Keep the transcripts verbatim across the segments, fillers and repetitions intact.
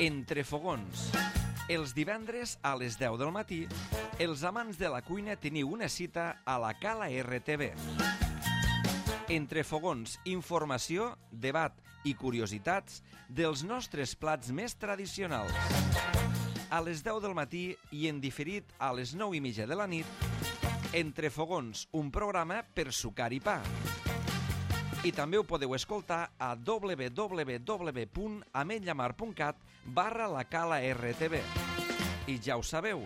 Entre fogons. Els divendres a les deu del matí, els amants de la cuina teniu una cita a la Cala R T V. Entre fogons, informació, debat i curiositats dels nostres plats més tradicionals. A les deu del matí i en diferit a les nou i mitja de la nit, Entre fogons, un programa per sucar i pa. I també ho podeu escoltar a w w w punt ametlllamar punt cat barra la Cala R T V. I ja ho sabeu,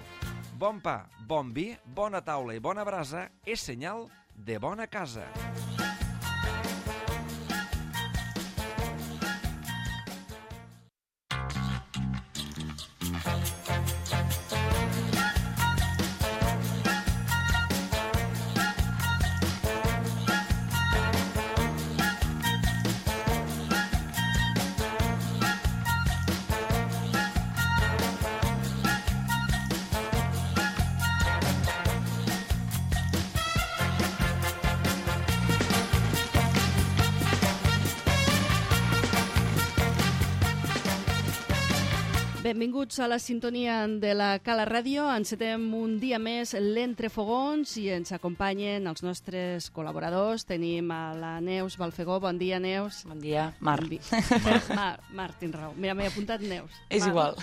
bon pa, bon vi, bona taula i bona brasa és senyal de bona casa. Benvinguts a la sintonia de la Cala Ràdio. Encetem un dia més l'Entre Fogons i ens acompanyen els nostres col·laboradors. Tenim a la Neus Balfegó. Bon dia, Neus. Bon dia, Mar. Bon dia. Mar, Mar, tens raó. Mira, m'he apuntat Neus. És Mar. igual.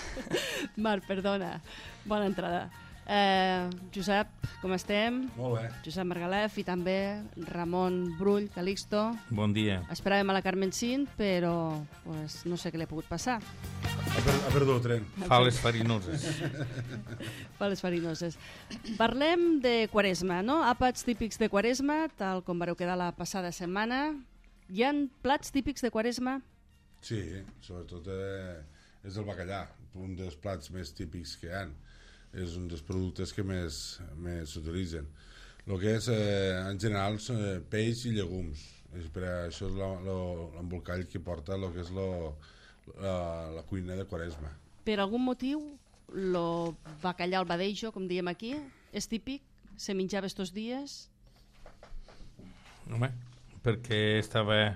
Mar, perdona. Bona entrada. Eh, Josep, com estem? Molt bé. Josep Margalef i també Ramon Brull, Calixto. Bon dia. Esperàvem a la Carmen Cint, però pues, no sé què li ha pogut passar. Ha, per, ha perdut el tren. Fa les farinoses. Fa les farinoses. Parlem de Quaresma, no? Àpats típics de Quaresma, tal com vareu quedar la passada setmana. Hi ha plats típics de Quaresma? Sí, sobretot eh, és el bacallà, un dels plats més típics que hi ha. És un dels productes que més, més s'utilitzen. El que és, eh, en general, eh, peix i llegums. És per això és l'embolcall que porta el que és lo, la, la cuina de Quaresma. Per algun motiu, el bacallà al badejo, com diem aquí, és típic? Se menjava estos dies? Home, perquè estava...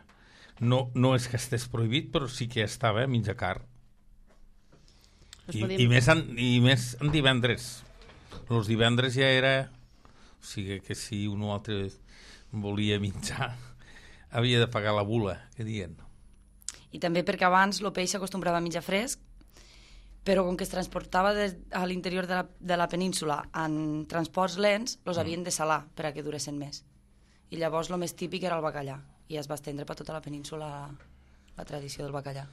No, no és que estés prohibit, però sí que estava a menjar carn. I, podíem... i, més en, i més en divendres. Els divendres ja era... O sigui que si un o altre volia menjar, havia de pagar la bula, que diuen. I també perquè abans el peix s'acostumbrava a menjar fresc, però com que es transportava de, a l'interior de, la, de la península en transports lents, els mm. havien de salar per a que duressin més. I llavors el més típic era el bacallà, i es va estendre per tota la península la, la tradició del bacallà.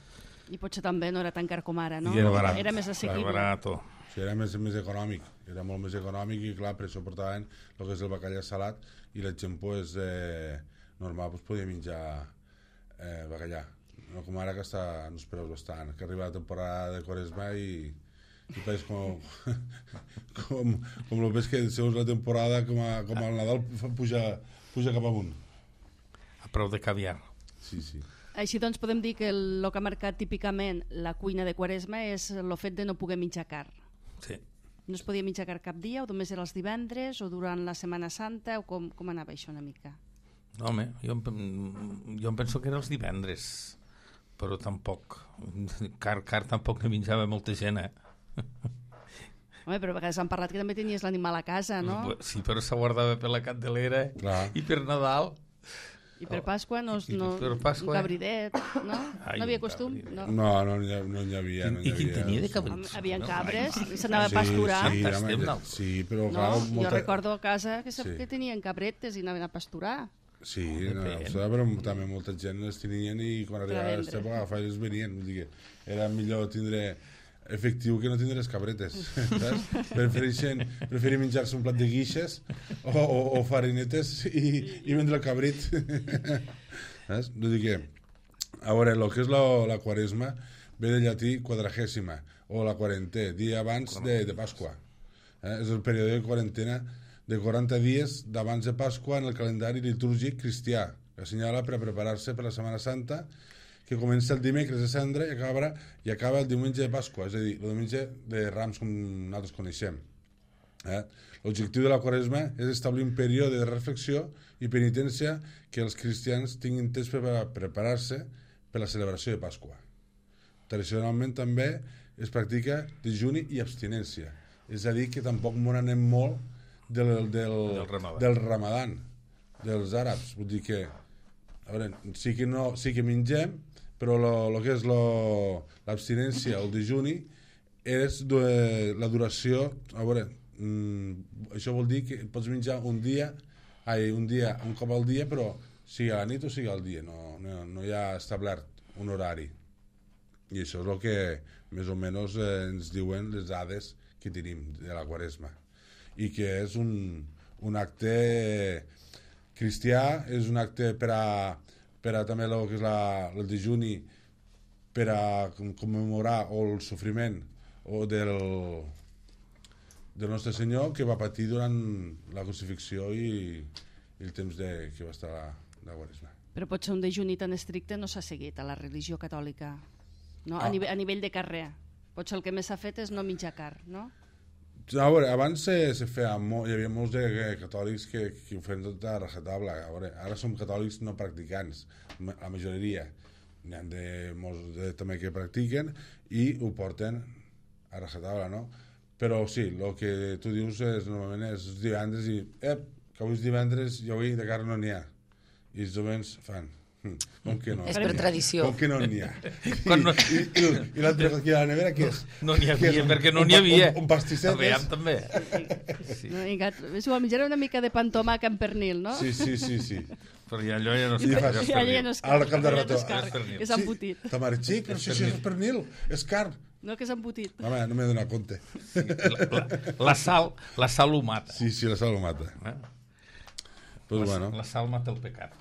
I potser també no era tan car com ara, no? I era barat. Era més assequible. Era barato. Sí, era més, més econòmic, era molt més econòmic i clar, per això portaven el que és el bacallà salat i la gent pues, eh, normal pues, podia menjar eh, bacallà. No com ara que està en els preus bastant, que arriba la temporada de Quaresma i, i pareix com, com, com el ves que segons la temporada com, a, com al Nadal puja, puja cap amunt. A preu de caviar. Sí, sí. Així doncs podem dir que el, el que ha marcat típicament la cuina de Quaresma és el fet de no poder menjar carn. Sí. No es podia menjar carn cap dia, o només era els divendres, o durant la Setmana Santa, o com, com anava això una mica? No, home, jo, jo em penso que era els divendres, però tampoc. Car, car tampoc ne menjava molta gent, eh? Home, però a vegades han parlat que també tenies l'animal a casa, no? Sí, però se guardava per la Candelera. Clar. I per Nadal... I per Pasqua, no, no, per Pasqua, un cabridet, no? Ai, no havia costum? No, no, no, no, no hi havia. No I qui tenia de cabrits? Havien cabres, s'anava a pasturar. Sí, sí, sí, però clar... No, molta... Jo recordo a casa que, sí. que tenien cabretes i anaven a pasturar. Sí, no, però també molta gent les tenien i quan arribava aquesta època agafaven venien. Vull dir que era millor tindre efectiu que no tindre les cabretes, saps? Prefereixen, prefereixen menjar-se un plat de guixes o, o, o farinetes i, i vendre el cabrit. Saps? Vull dir que, a veure, el que és la, la Quaresma ve del llatí quadragèsima o la quarantè, dia abans de, de Pasqua. Eh? És el període de quarantena de quaranta dies d'abans de Pasqua en el calendari litúrgic cristià, que assenyala per a preparar-se per la Setmana Santa, que comença el dimecres de Cendra i acaba, i acaba el diumenge de Pasqua, és a dir, el diumenge de Rams com nosaltres coneixem. Eh? L'objectiu de la Quaresma és establir un període de reflexió i penitència que els cristians tinguin temps per preparar-se per la celebració de Pasqua. Tradicionalment també es practica dejuni i abstinència. És a dir, que tampoc m'ho anem molt del, del, del, ramadan. del ramadan, dels àrabs. Vull dir que, a veure, sí que, no, sí que mengem, però el que és l'abstinència o el dejuni és de, la duració, a veure, mm, això vol dir que pots menjar un dia, ai, un dia, un cop al dia, però sigui a la nit o sigui al dia, no, no, no hi ha establert un horari. I això és el que més o menys eh, ens diuen les dades que tenim de la Quaresma. I que és un, un acte cristià, és un acte per a, per a també el que és la, el dejuni, per a commemorar o el sofriment o del, del nostre Senyor que va patir durant la crucifixió i, i el temps de, que va estar a la, la Quaresma. Però potser un dejuni tan estricte no s'ha seguit a la religió catòlica, no? Ah. A, nivell, a nivell de carrer. Potser el que més s'ha fet és no menjar carn, no? A veure, abans se, se feia molt, hi havia molts de, de catòlics que, que ho feien tot a rajatabla. A veure, ara som catòlics no practicants, la majoria. N'hi ha de, molts de, també que practiquen i ho porten a rajatabla, no? Però sí, el que tu dius és, normalment és divendres i ep, que avui és divendres i avui de carn no n'hi ha. I els jovens fan... Com que no? És per tradició. Com que no n'hi ha? No... I, i, i, i l'altre aquí a la nevera, què és? No n'hi havia, un, perquè no un, n'hi havia. Un, un pastisset. Aviam, també. Sí. No, i gat, és igual, menjaré una mica de pa amb tomàquet amb pernil, no? Sí, sí, sí, sí. Però ja allò ja no I és fas- és I allà ja pernil. no és Al carn, cap de allà rato. no és carn, És pernil. és embotit. Sí, tamarxic, però si això és pernil, és carn. No, que és embotit. Home, no m'he donat compte. La, la, la sal, la sal ho mata. Sí, sí, la sal ho mata. Eh? Pues la, bueno. la sal mata el pecat.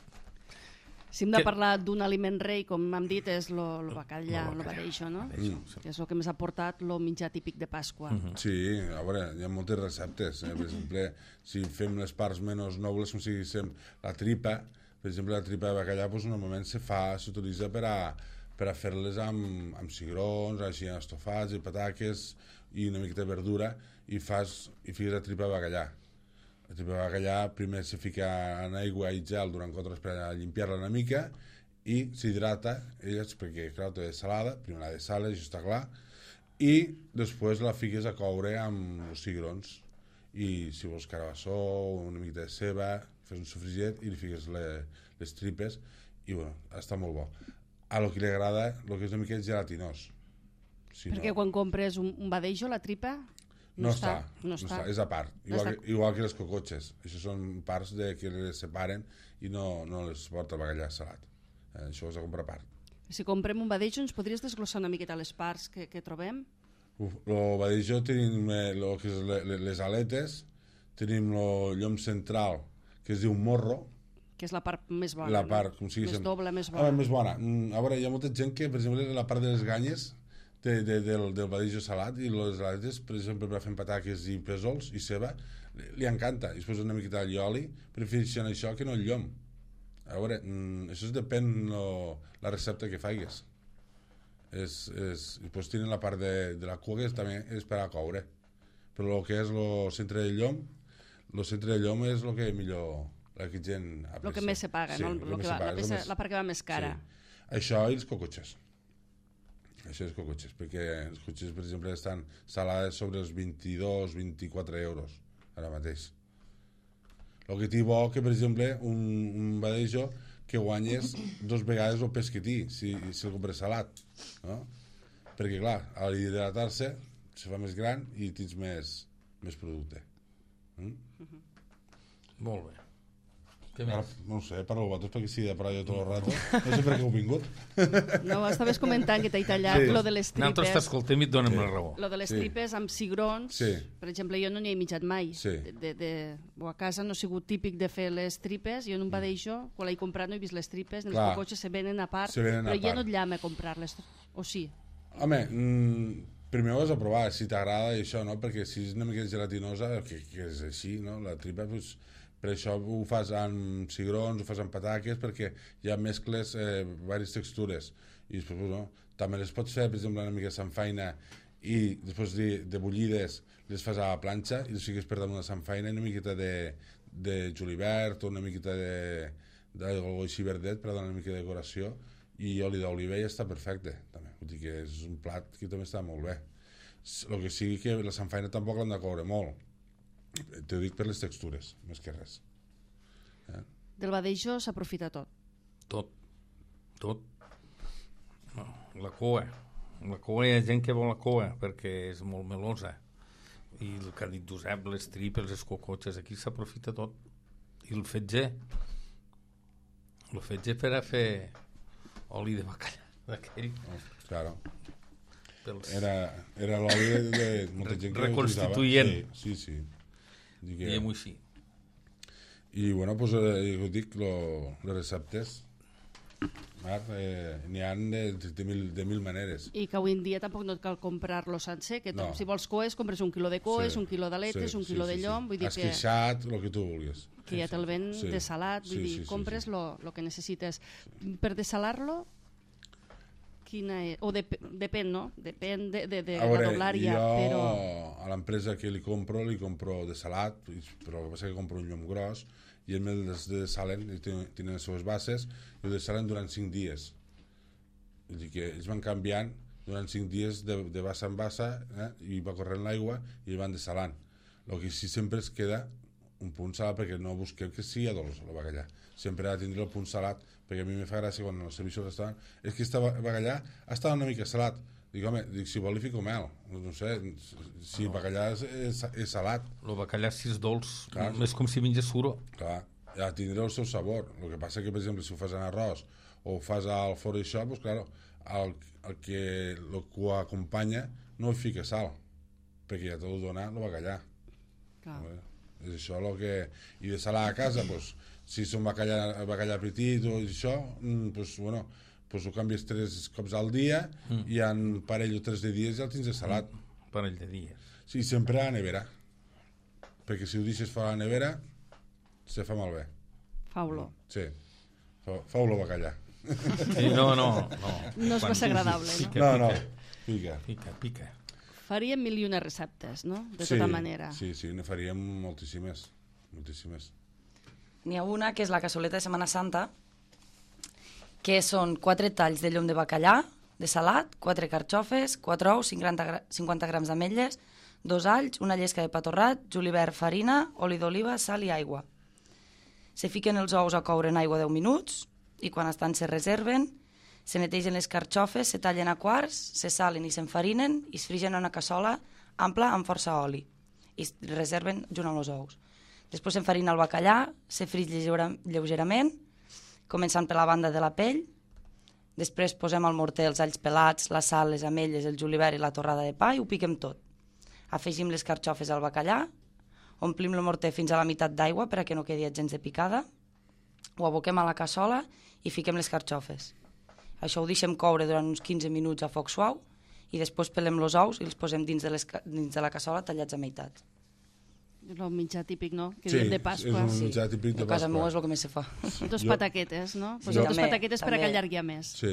Si hem de Que- parlar d'un aliment rei, com hem dit, és el bacallà, Lo el bacallà. badeixo, no? Mm. Que és el que més ha portat el menjar típic de Pasqua. Sí, a veure, hi ha moltes receptes. Eh? Per exemple, si fem les parts menys nobles, com si diguéssim la tripa, per exemple, la tripa de bacallà, doncs, normalment se fa, s'utilitza per a, per a fer-les amb, amb cigrons, així estofats i pataques i una miqueta de verdura i fas i fiques la tripa de bacallà. La tripa de bacallà primer se fica en aigua i gel durant quatre hores per a limpiar-la una mica i s'hidrata, elles, perquè clar, té salada, primer la de sal, això està clar, i després la fiques a coure amb els cigrons i si vols carabassó, una miqueta de ceba, fes un sofregit i li fiques le, les tripes i bueno, està molt bo. A lo que li agrada, el que és una mica gelatinós. Si Perquè quan compres un, un badeixo, la tripa... No, no està, no està. és a part, No igual, està. que, igual que les cocotxes. Això són parts de que les separen i no, no les porta el bacallà salat. Eh, això és a comprar a part. Si comprem un badeixo, ens podries desglossar una miqueta les parts que, que trobem? Uf, lo badeixó tenim eh, lo que és le, le, les aletes, tenim el llom central, que es diu morro, Que és la part més bona, la part, no? com sigui... Més doble, més Ah, bona. més bona. Mm, a veure, hi ha molta gent que, per exemple, la part de les ganyes de, de, del, del badeixo salat i les aletes, per exemple, per fer pataques i pèsols i ceba, li, li encanta. I es posa una miqueta d'allioli, prefereixen això que no el llom. A veure, mm, això depèn no, la recepta que faigues. És, és, i després tenen la part de, de la cua que és, també és per a coure. Però el que és el centre del llom, el centre del llom és el que millor la que gent aprecia. El que més se paga, Sí, no? el Lo que que més va, se paga, la, és el peça, més- la part que va més cara. Sí. Això i els cocotxes. Això és cocotxes, perquè els cotxes, per exemple, estan salades sobre els vint-i-dos vint-i-quatre euros, ara mateix. El que té bo que, per exemple, un, un badeixo que guanyes dos vegades el pes que té, si, si el compres salat, no? Perquè, clar, a l'hidratar-se se fa més gran i tens més, més producte. Mm? Molt bé. Què Ara, més? no ho sé, parlo vosaltres perquè sí de parlar jo tot el rato. No sé per què heu vingut. No, estaves comentant que t'he tallat Sí. lo de les Nosaltres tripes. t'escoltem i et donem Sí. la raó. Lo de les Sí. tripes amb cigrons, Sí. per exemple, jo no n'hi he mitjat mai. Sí. De, de, de, o a casa no ha sigut típic de fer les tripes, jo en un badeixo, quan l'he comprat no he vist les tripes, ni les Clar. cocotxes se venen a part, Se venen a però ja part. no et llama a comprar-les, o sí? Home, mm, primer ho has de provar, si t'agrada i això, no? Perquè si és una mica gelatinosa, que, que és així, no? La tripa, doncs, per això ho fas amb cigrons, ho fas amb pataques, perquè hi ha mescles, eh, diverses textures. I després, no? També les pots fer, per exemple, una mica de samfaina i després de, de bullides les fas a la planxa i les fiques per damunt de samfaina i una miqueta de, de julivert o una miqueta de d'algo així verdet per donar una mica de decoració i oli d'oliva ja està perfecte, també. Vull dir que és un plat que també està molt bé. El que sigui que la samfaina tampoc l'han de coure molt. T'ho dic per les textures, més que res. Eh? Del badeijo s'aprofita tot. Tot. Tot. No, la coa. La coa hi ha gent que vol la coa perquè és molt melosa. I el que ha dit Josep, les tripes, les cocotxes, aquí s'aprofita tot. I el fetger. El fetger per a fer oli de bacallà d'aquell. Oh, claro. Pels... Era, era l'oli de, de molta gent que reconstituent. Sí, sí, sí. Que... Diguem-ho així. I, bueno, doncs, eh, ho dic, lo, les receptes, Mar, eh, n'hi ha de, de, mil, de mil maneres. I que avui en dia tampoc no et cal comprar-lo sencer, que no. Si vols coes, compres un quilo de coes, sí, un quilo d'aletes, sí, un quilo sí, sí, de llom, vull dir que... Esqueixat, el que tu vulguis. Que ja te'l ven sí. desalat, vull sí, dir, sí, compres sí, sí. lo que necessites. Per desalar-lo, quina és? O dep depèn, no? Depèn de, de, de veure, la doblària, jo, però... a l'empresa que li compro, li compro desalat, però el que passa és que compro un llom gros, i ells me'l desalen, tenen les seves bases, i ho desalen durant cinc dies. Vull dir que ells van canviant durant cinc dies de, de bassa en bassa, eh? I va corrent l'aigua i el van desalant. El que sí sempre es queda un punt salat, perquè no busquem que sigui dolç el bacallà. Sempre ha de tindre el punt salat, perquè a mi me fa gràcia quan el servicio al restaurant és que este bacallà està una mica salat. Dic, home, dic, si vol li fico mel. No sé, si el bacallà és, és, és salat. El bacallà, si és dolç, clar, és com si menges suro. Clar, ja tindrà el seu sabor. El que passa que, per exemple, si ho fas en arròs o ho fas al forn d'això, doncs, clar, el, el que el que ho acompanya no hi fica sal, perquè ja t'ho dona el bacallà. Clar. És això el que... I de salar a casa, doncs, si són bacallà, bacallà petit o això, doncs, bueno, pues ho canvies tres cops al dia mm. i en parell o tres de dies ja el tens de salat. Mm. Parell de dies. Sí, sempre a la nevera. Perquè si ho deixes fora a la nevera, se fa malbé. Fa olor. Sí, fa, fa olor bacallà. Sí, no, no, no. No és massa agradable, no? Pica, no, pica. no, pica. Pica, pica. Faríem mil i una receptes, no? De sí, tota manera. Sí, sí, ne faríem moltíssimes. Moltíssimes. N'hi ha una que és la cassoleta de Setmana Santa, que són quatre talls de llom de bacallà, de salat, quatre carxofes, quatre ous, cinquanta grams d'ametlles, dos alls, una llesca de pa torrat, julivert, farina, oli d'oliva, sal i aigua. Se fiquen els ous a coure en aigua deu minuts i quan estan se reserven, se netegen les carxofes, se tallen a quarts, se salen i s'enfarinen i es frigen en una cassola ampla amb força oli i es reserven junt amb els ous. Després s'enfarina el bacallà, se frig lleugerament, començant per la banda de la pell, després posem al morter els alls pelats, la sal, les ametlles, el julivert i la torrada de pa i ho piquem tot. Afegim les carxofes al bacallà, omplim el morter fins a la meitat d'aigua per a que no quedi gens de picada, ho aboquem a la cassola i fiquem les carxofes. Això ho deixem coure durant uns quinze minuts a foc suau i després pelem els ous i els posem dins de, les, dins de la cassola tallats a meitat. El menjar típic, no? Que sí, diem de Pasqua. és un menjar típic de Pasqua. A casa meva és el que més se fa. Dos jo... pataquetes, no? Pues jo... dos pataquetes per a que allargui més. Sí.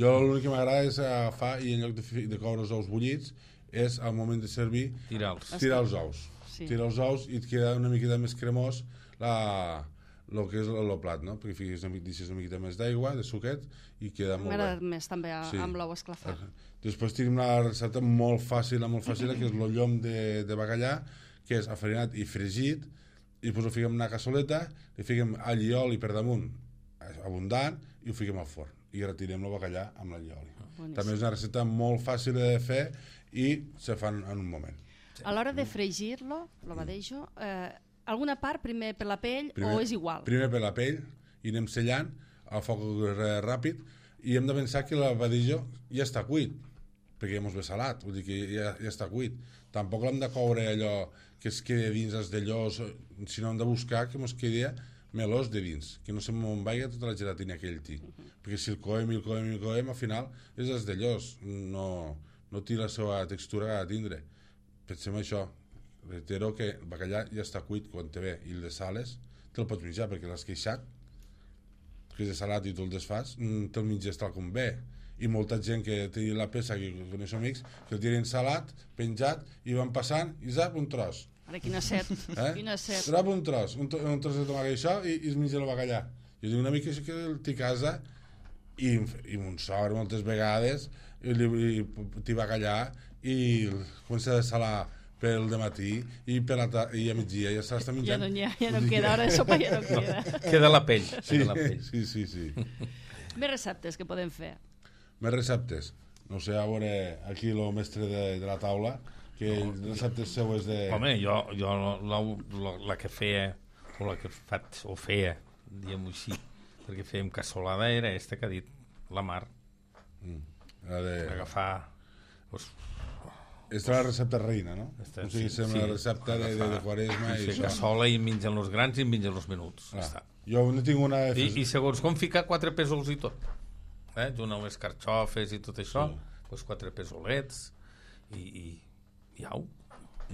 Jo l'únic que m'agrada és agafar i en lloc de, de coure els ous bullits és al moment de servir tirar-los tirar els ous. Sí. Tirar els ous i et queda una miqueta més cremós la, el que és el plat, no? Perquè fiques una, una miqueta més d'aigua, de suquet i queda molt bé. M'agrada més també a, sí. amb l'ou esclafat. Després tenim una recepta molt fàcil, molt fàcil, que és el llom de, de bacallà, que és afarinat i fregit, i després ho fiquem en una cassoleta, li fiquem all i oli per damunt, abundant, i ho fiquem al forn. I retirem el bacallà amb l'all i oli. Boníssim. També és una recepta molt fàcil de fer i se fan en un moment. A l'hora de fregir-lo, lo badeijo, eh, alguna part primer per la pell primer, o és igual? Primer per la pell, i anem sellant a foc ràpid, i hem de pensar que el badeijo ja està cuit, perquè ja mos ve salat, vull dir que ja, ja està cuit. Tampoc l'hem de coure allò que es quedi dins els d'allòs, sinó hem de buscar que mos quedi melós de dins, que no se m'envaiga tota la gelatina que ell té. Uh -huh. Perquè si el coem i el coem i el coem, al final és els d'allòs, no, no té la seva textura que ha de tindre. Pensem això, reitero que el bacallà ja està cuit quan te ve, i el de sales te'l pots menjar, perquè l'has queixat, que és de salat i tu el desfas, te'l menges tal com ve. I molta gent que té la peça, que coneixo amics, que el tiren salat, penjat, i van passant, i zap, un tros. Ara, quina set, eh? quina set. Zap, un tros, un, un tros de tomàquet i això, i, i es menja el bacallà. Jo dic una mica que el té a casa, i, i mon sogre moltes vegades t'hi va callar i comença a salar pel dematí i, per la ta- i a migdia ja se l'està menjant. Ja no, ha, ja no queda, hora de sopa ja no queda. Queda la pell. Sí, Queda la pell. sí, sí, sí. Més receptes que podem fer. Més receptes. No sé, a veure, aquí el mestre de, de la taula, que no, receptes seues de... Home, jo, jo la, la, la que feia, o la que faig, o feia, diguem-ho així, perquè fèiem cassolada, era esta que ha dit la Mar. Mm. La de... Agafar... Pues, Esta és la recepta reina, no? Esta, o sigui, sí, sembla sí. la recepta de, de, de Quaresma i fer això. cassola i mengen els grans i mengen els menuts. Ah, Està. jo no tinc una... I, I segons com ficar quatre pèsols i tot. Eh? Junt amb les carxofes i tot això, Sí. doncs quatre pèsolets i, i, i au.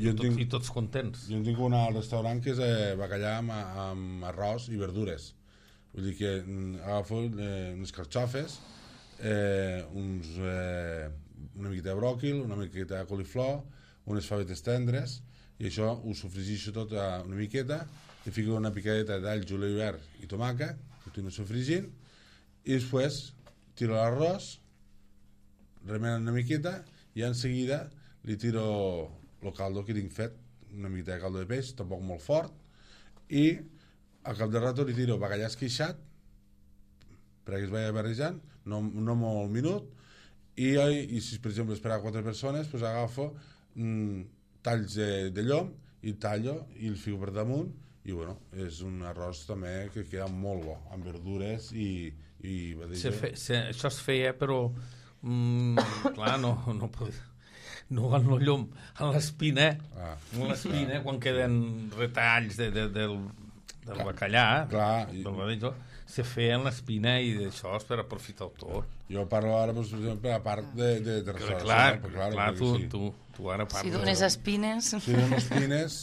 Jo Tot, tinc, I tots contents. jo en tinc una al restaurant que és eh, bacallà amb, amb arròs i verdures. Vull dir que mm, agafo eh, unes carxofes, eh, uns, eh, una miqueta de bròquil, una miqueta de coliflor, unes favetes tendres, i això ho sofregixo tot a una miqueta, i fico una picadeta d'all, julivert i tomàquet, continuo sofregint, i després tiro l'arròs, remenen una miqueta, i en seguida li tiro el caldo que tinc fet, una miqueta de caldo de peix, tampoc molt fort, i al cap de rato li tiro bacallà esqueixat, perquè es vagi barrejant, no, no molt minut, i, i si per exemple és per a quatre persones, doncs agafo mm, talls de, de llom i tallo i el fico per damunt, i bueno, és un arròs també que queda molt bo, amb verdures i, i Se fe, se, això es feia, però mm, clar, no, no podia, no en el llum, en l'espina, ah, en l'espina, quan queden retalls de, de, del, del clar, bacallà, clar, i, del badillo, se feia en l'espina i d'això és per aprofitar-ho tot. jo parlo ara, doncs, per exemple, a part de, de, de Clar, restauració, clar, clar, clar tu, sí. tu, tu ara parles. Si dones espines... Si dono espines,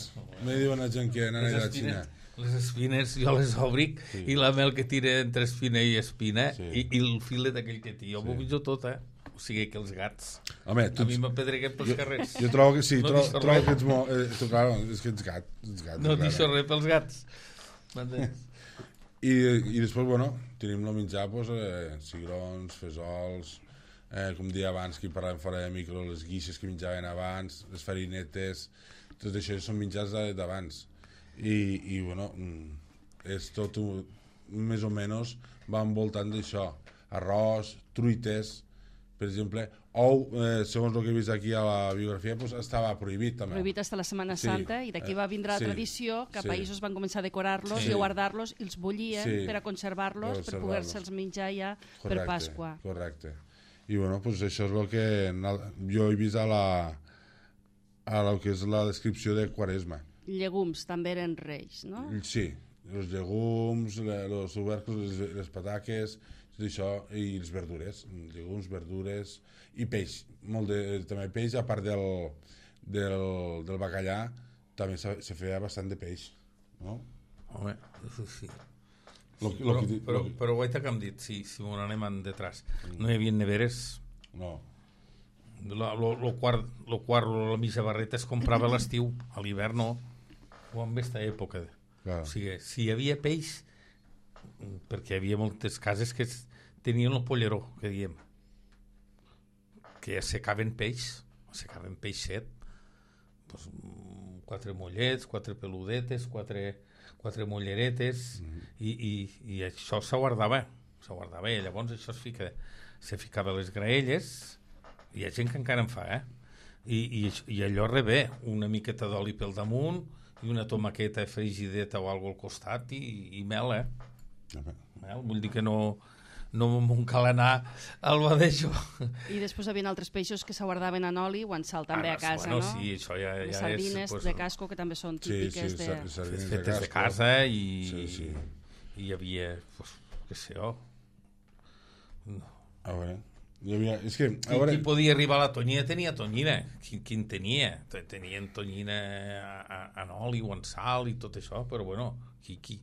me diuen la gent que anava les a la espines, Xina. les espines jo les obric Sí. i la mel que tira entre espina i espina Sí. i, i el filet aquell que té, jo Sí. m'ho menjo tot, eh? O sigui que els gats, Home, tu, a mi m'apedreguen pels jo, carrers. jo trobo que sí, No tro, deixo trobo res. que ets molt... Eh, tu, clar, és que ets gat, ets gat. No clar. deixo res pels gats. M'entens? I, I després, bueno, tenim el menjar, doncs, eh, cigrons, fesols, eh, com dia abans, que parlàvem fora de micro, les guixes que menjaven abans, les farinetes, tot això són menjars d'abans. I, i bueno, és tot, un, més o menys, va envoltant d'això. Arròs, truites, per exemple, ou, eh, segons el que he vist aquí a la biografia, doncs estava prohibit també. Prohibit hasta la Setmana Sí. Santa, i d'aquí Eh, va vindre la sí, tradició que a sí. països van començar a decorar-los Sí. i a guardar-los i els bullien Sí. per a conservar-los, Per per conservar-los. poder-se'ls menjar ja per Pasqua. Correcte. I bueno, pues això és el que jo he vist a la a lo que és la descripció de Quaresma. Llegums també eren reis, no? Sí, els llegums, els tubercles, les, les pataques, tot això, i les verdures, llegums, verdures i peix, molt de, també peix, a part del, del, del bacallà, també se, se feia bastant de peix, no? Home, això sí. Lo, Sí, lo però, que, però, lo que, però guaita que hem dit, sí, si m'ho anem en detrás. No hi havia neveres. no, Lo, lo, lo quart, lo quart, la mitja barreta es comprava a l'estiu, a l'hivern no, o en aquesta època. clar. O sigui, si hi havia peix, perquè hi havia moltes cases que es- tenien el polleró, que diem, que assecaven peix, assecaven peixet, doncs, mm, quatre mollets, quatre peludetes, quatre, quatre molleretes, mm -hmm. i, i, i això se guardava, se guardava, i llavors això es, fica, se ficava a les graelles, hi ha gent que encara en fa, eh? I, i, i allò rebé, una miqueta d'oli pel damunt, i una tomaqueta frigideta o alguna al costat, i, i mel, eh? Mel, vull dir que no, no m'ho cal anar al badejo. I després hi havia altres peixos que se guardaven en oli o en sal també Ah, a casa, bueno, no? sí, això ja, Les ja sardines és... pues, de casco, que també són Sí, típiques sí, de... sa- sardines de fetes de casco. casa i, Sí, sí. i hi havia, pues, què sé jo, A veure, hi havia, és que, a qui, veure, qui podia arribar a la tonyina tenia tonyina, qui, qui en tenia? Te- Tenien tonyina a- a- en oli o en sal i tot això, però bueno, qui, qui,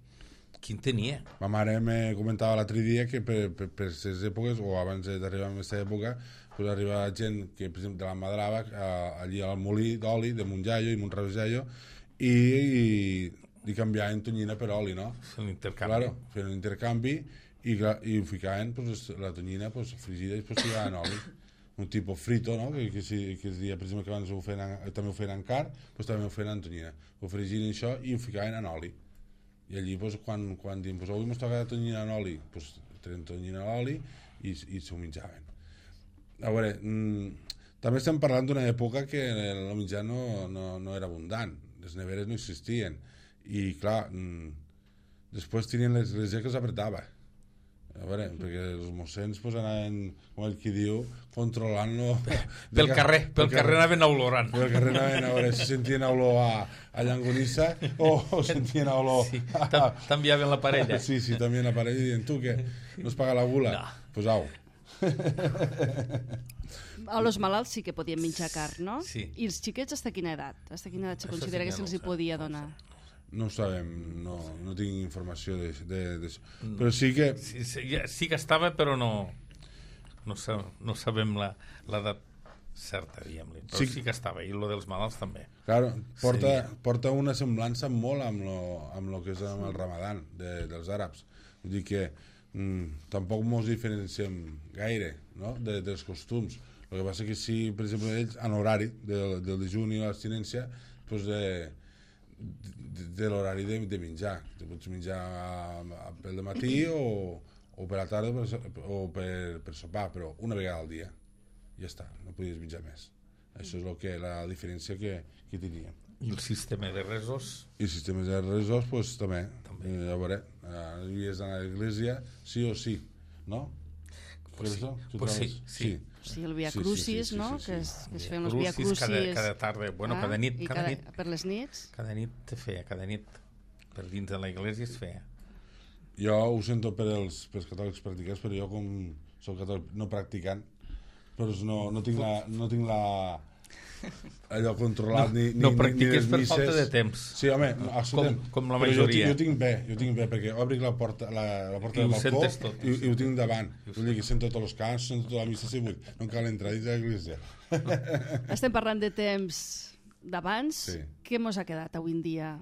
qui en tenia? ma mare me comentava l'altre dia que per, per, per aquestes èpoques, o abans d'arribar a aquesta època, pues arribava gent que, per exemple, de la Madrava, a, allí al molí d'oli de Montjallo i Montravejallo, i, i, i canviaven tonyina per oli, no? L'intercanvi. Claro, feien un intercanvi, i, i ho ficaven, pues, la tonyina pues, fregida i pues, ficaven oli. Un tipus frito, no? que, que, si, que es dia, per exemple, que abans ho feien, també ho feien en car, pues, també ho feien en tonyina. Ho fregien això i ho ficaven en oli. I allí, pues, quan, quan diuen, pues, avui m'ho toca tonyina en oli, pues, treien tonyina en oli i, i s'ho menjaven. A veure, mmm, també estem parlant d'una època que el menjar no, no, no era abundant, les neveres no existien, i clar, mmm, després tenien les, les que els apretava. A veure, perquè els mossens pues, anaven, com ell qui diu, controlant-lo... Pel carrer, pel carrer anaven olorant. Pel carrer anaven a veure si sentien olor a, a llangonissa o, o sentien olor... Sí, t'enviaven la parella. Sí, sí, també la parella i diuen, tu què, no es paga la gula? No. Pues au. A los malalts sí que podien menjar carn, no? Sí. I els xiquets, hasta quina edat? Hasta quina edat se considera que se'ls hi podia donar? No ho sabem, no, no tinc informació d'això. Però sí que... Sí, sí, sí que estava, però no no, sa, no sabem l'edat certa, diguem-li. Però sí, sí que estava, i lo dels malalts també. Claro, porta, sí. porta una semblança molt amb lo, amb lo que és amb el Ramadan de, dels àrabs. Vull dir que mm, tampoc mos diferenciem gaire, no?, de, dels costums. El que passa que sí, per exemple, ells, en horari del, del dejuni i l'abstinència, doncs de, de, de l'horari de, de menjar. Te pots menjar pel matí o, o per la tarda per, o per, per sopar, però una vegada al dia. Ja està, no podies menjar més. Això és lo que, la diferència que, que teníem. I el sistema de resos? I el sistema de resos, doncs, també. també. Eh, a veure, havies d'anar a l'església sí o sí, no? Pues sí, pues sí, sí. Sí, el Via Crucis, sí, sí, sí, no? Sí, sí, sí. Que es, que es feien els Via Crucis... Cada, cada tarda, bueno, ah, cada nit. Cada, cada nit. Per les nits? Cada nit te feia, cada nit. Per dins de la iglesia es feia. Jo ho sento per els, per els catòlics practicants, però jo com soc catòlic no practicant, però no, no tinc la... No tinc la allò controlat no, ni, ni, no practiques ni per misses. Falta de temps sí, home, com, com la majoria. Jo, jo tinc bé, jo tinc bé perquè obric la porta, la, la porta del balcó tot, i, i ho tinc davant, vull dir que sento tots els cants, sento tota la missa si vull, no cal entrar dins de l'església. Estem parlant de temps d'abans, sí. Què mos ha quedat avui en dia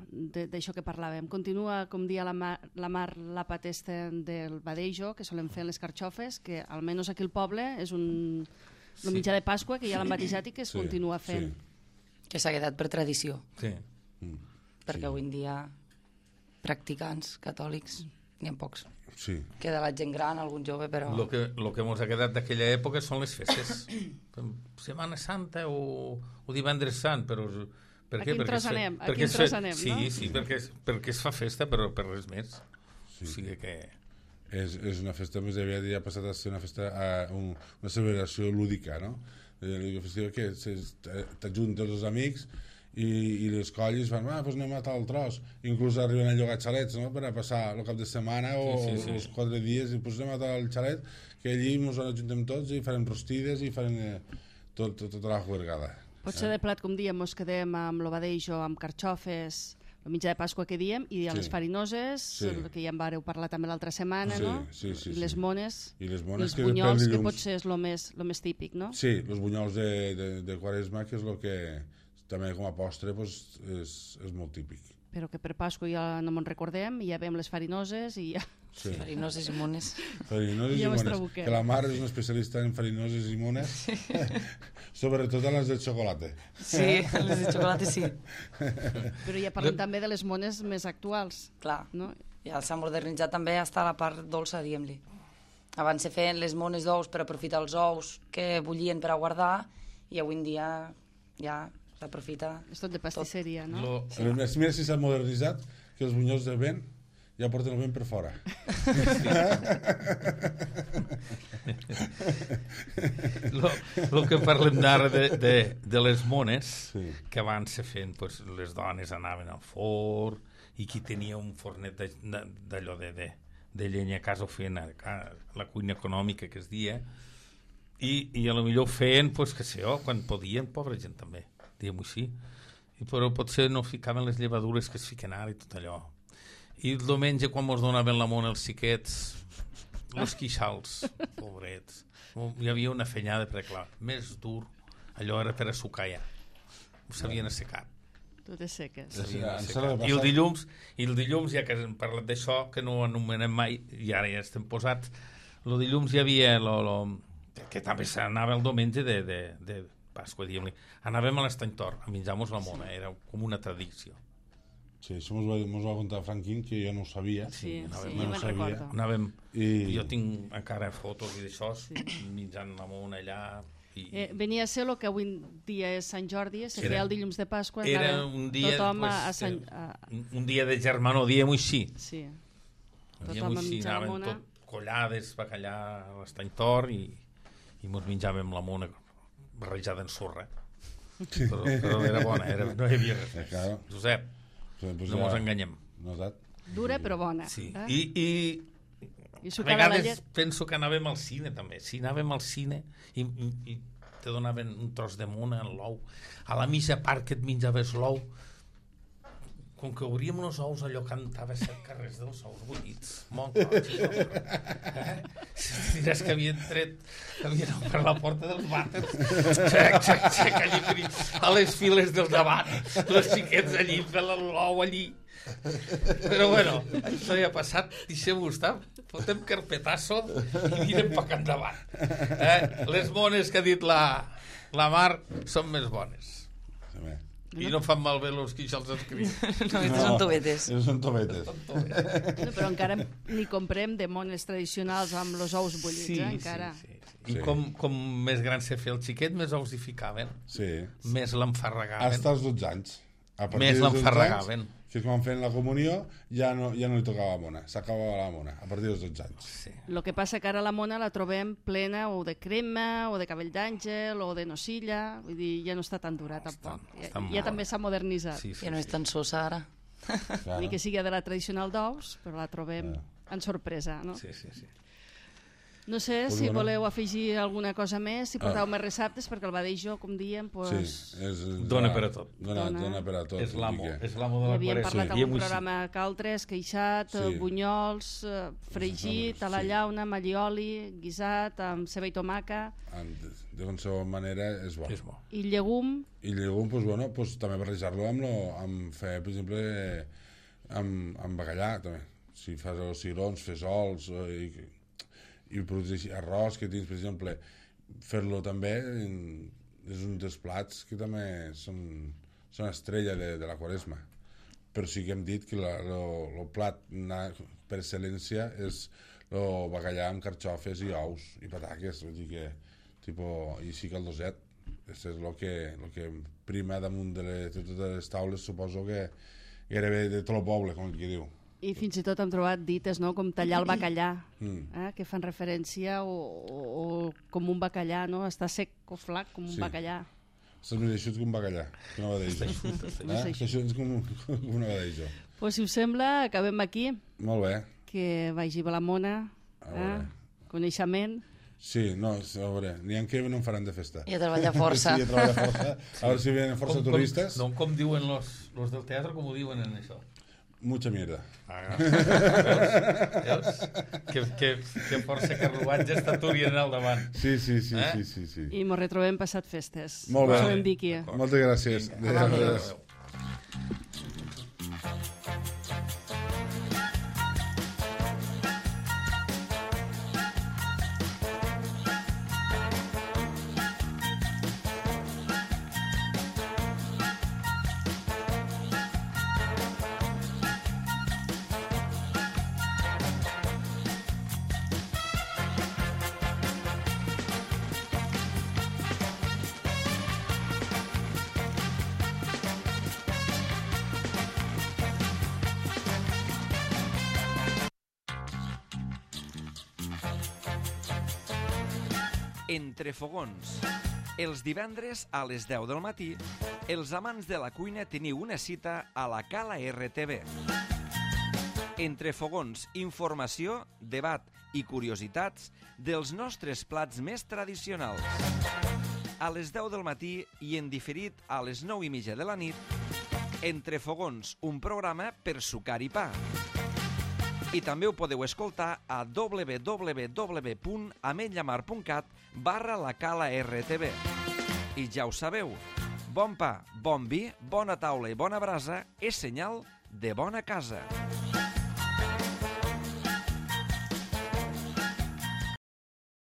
d'això que parlàvem? Continua, com dia la Mar, la Mar l'àpat este del badejo que solen fer les carxofes, que almenys aquí al poble és un... el mitjà de Pasqua, que ja l'han batejat i que es sí, continua fent. Sí. Que s'ha quedat per tradició. Sí. Mm. Perquè sí. Avui en dia practicants catòlics n'hi ha pocs. Sí. Queda la gent gran, algun jove, però... Lo que, lo que mos ha quedat d'aquella època són les festes. Setmana Santa o, o Divendres Sant, però... Per aquí què? en tros anem, aquí en tros anem, sí, no? Sí, sí, perquè, perquè es fa festa, però per res més. Sí. O sigui que... És, és una festa més aviat, ja ha passat a ser una festa, uh, un, una celebració lúdica, no? Una festival que t'ajunten els amics i, i les colles fan, ah, doncs anem a tal tros. Inclús arriben a llogar xalets, no?, per a passar el cap de setmana o sí, sí, sí. els quatre dies, i doncs anem a tal xalet, que allí ens ajuntem tots i farem rostides i farem eh, tot, tot, tota la juergada. Potser de plat, com diem, mos quedem amb l'obadejo, amb carxofes, el mitjà de Pasqua que diem, i a sí. Les farinoses, sí. Que ja en vareu parlar també l'altra setmana, sí, no? Sí, sí, I les mones, i les mones els que bunyols, que potser és el més, lo més típic, no? Sí, els bunyols de, de, de Quaresma, que és el que també com a postre pues, és, és molt típic. Però que per Pasqua ja no me'n recordem, i ja veiem les farinoses i ja... Sí. Farinoses i mones. Farinoses i, I mones. Que la mare és una especialista en farinoses i mones, sí. Sobretot a les de xocolata. Sí, les de xocolata sí. Però ja parlem també de les mones més actuals. Clar, no? Ja s'ha modernitzat també fins a la part dolça, diguem-li. Abans se feien les mones d'ous per aprofitar els ous que bullien per a guardar, i avui en dia ja s'aprofita... És tot de pastisseria, tot. No? Lo... Sí. Mira si s'ha modernitzat, que els bunyols de vent ja porten el vent per fora. lo, lo que parlem d'ara de, de, de les mones, sí. Que abans se feien, pues, les dones anaven al forn, i qui tenia un fornet d'allò de, de, de llenya a casa ho feien a, a la cuina econòmica que es dia, i, i a lo millor feien, pues, que sé jo, quan podien, pobra gent també, diguem-ho així, I, però potser no ficaven les llevadures que es fiquen ara i tot allò. I el diumenge, quan mos donaven la mona els xiquets, els quixals, pobrets, hi havia una fenyada, perquè clar, més dur, allò era per assucar ja, ho s'havien assecat. Totes seques. Sí, I el dilluns, i el dilluns, ja que hem parlat d'això, que no ho anomenem mai, i ara ja estem posats, el dilluns hi havia, lo, lo, que també s'anava el diumenge de, de, de Pasqua, diguem-li. Anàvem a l'Estany Tor, a menjar-nos la mona, era com una tradició. Sí, això mos va, mos va contar Franquín, que jo no ho sabia. Sí, anàvem, sí, no jo me'n recordo. Anàvem, I... jo tinc encara fotos i d'això, sí. menjant la mona allà. I... Eh, venia a ser el que avui dia és Sant Jordi, se feia el dilluns de Pasqua, era un dia, tothom pues, a Sant... A... un dia de germanor, diem-ho així. Sí, Diem-ho així, anàvem tot collades, bacallà a l'Estany Tor i, i mos menjàvem la mona barrejada en sorra. Però, però era bona, era, no hi havia res. Claro. Josep, pues no ja... mos enganyem. Notat. Dura però bona. Sí. Eh? I, i, I a vegades penso que anàvem al cine també. Si anàvem al cine i, i, i te donaven un tros de mona, l'ou, a la mitja part que et menjaves l'ou, com que obríem els ous, allò cantava set carrers dels ous bullits. Molt roig. Eh? Si diràs que havien tret, havien obert per la porta dels vàters. Xec, xec, xec, allí per a les files del davant. Els xiquets allí, fent l'ou allí. Però bueno, això ja ha passat, deixem-ho estar, fotem carpetasso i mirem per cap endavant. Eh? Les mones que ha dit la, la Mar són més bones. Sí, i no fan malbé els que això els escriu. No, aquestes són tovetes. Són tovetes. No, però encara ni comprem de mones tradicionals amb els ous bullits, sí, eh, encara. Sí, sí, sí. I Sí. com, com més gran se feia el xiquet, més ous hi ficaven, Sí. més l'enfarregaven. Hasta els dotze anys. A partir Més dels dotze l'enfarregaven. anys, que és quan feien la comunió, ja no, ja no li tocava la mona, s'acabava la mona, a partir dels dotze anys. Sí. El que passa que ara la mona la trobem plena o de crema, o de cabell d'àngel, o de nocilla, vull dir, ja no està tan dura tampoc. Està- Ja, està ja molt també s'ha modernitzat. Sí, sí, Ja no és sí. tan sosa ara. Ni que sigui de la tradicional d'ous, però la trobem en sorpresa, no? Sí, sí, sí. No sé Pues si bueno. voleu afegir alguna cosa més, si porteu més receptes, perquè el badejo, com diem, pues, Sí, és, Dona per a tot. Dona, Dona. dona per a tot. És l'amo, vull dir que- és l'amo de ja la havíem quaresma. parlat en Diem-ho un així. programa caltres, queixat, Sí. bunyols, eh, fregit, a la Sí. llauna, mallioli, guisat, amb ceba i tomaca, En- de qualsevol manera és bo. És bo. i llegum. I llegum, pues, bueno, pues, també barrejar-lo amb, lo, amb fer, per exemple, amb, amb bacallà, també. Si fas els cigrons, fesols, eh, i, i productes així, arròs que tens, per exemple, fer-lo també en, és un dels plats que també són, són estrella de, de la quaresma. Però sí que hem dit que el plat na, per excel·lència és el bacallà amb carxofes i ous i pataques, vull dir que tipo, i sí que el doset. Això és el que, lo que prima damunt de, les, de totes les taules, suposo que gairebé de tot el poble, com el que diu. I fins i tot hem trobat dites, no?, com tallar el bacallà, Mm. eh, que fan referència o, o, o com un bacallà, no?, està sec o flac com un Sí. bacallà. Estàs més eixut que un bacallà, que una badeja. Eh? Això és com, un- com una badeja. Pues, si us sembla, acabem aquí, Molt bé. que vagi bé la mona, A eh? veure. Coneixement. Sí, no, a veure, n'hi ha que no en faran de festa. I a treballar força. Sí, a treballar força. A veure si venen força Com- turistes. Com, no, com diuen los, los del teatre, com ho diuen en això? Mucha mierda. Ah, veus? Veus? Que, que, que força carruatges t'aturien al davant. Sí, sí, sí, Eh? sí, sí, sí. I mos retrobem passat festes. Molt bé. Us ho en Vicky. D'acord. Moltes gràcies. Vinga, Adéu. adéu. Entre fogons. Els divendres a les deu del matí, els amants de la cuina teniu una cita a la Cala R T V. Entre fogons, informació, debat i curiositats dels nostres plats més tradicionals. A les deu del matí i en diferit a les nou i mitja de la nit, Entre fogons, un programa per sucar i pa. I també ho podeu escoltar a w w w punt ametllamar punt cat barra la Cala R T V. I ja ho sabeu, bon pa, bon vi, bona taula i bona brasa és senyal de bona casa.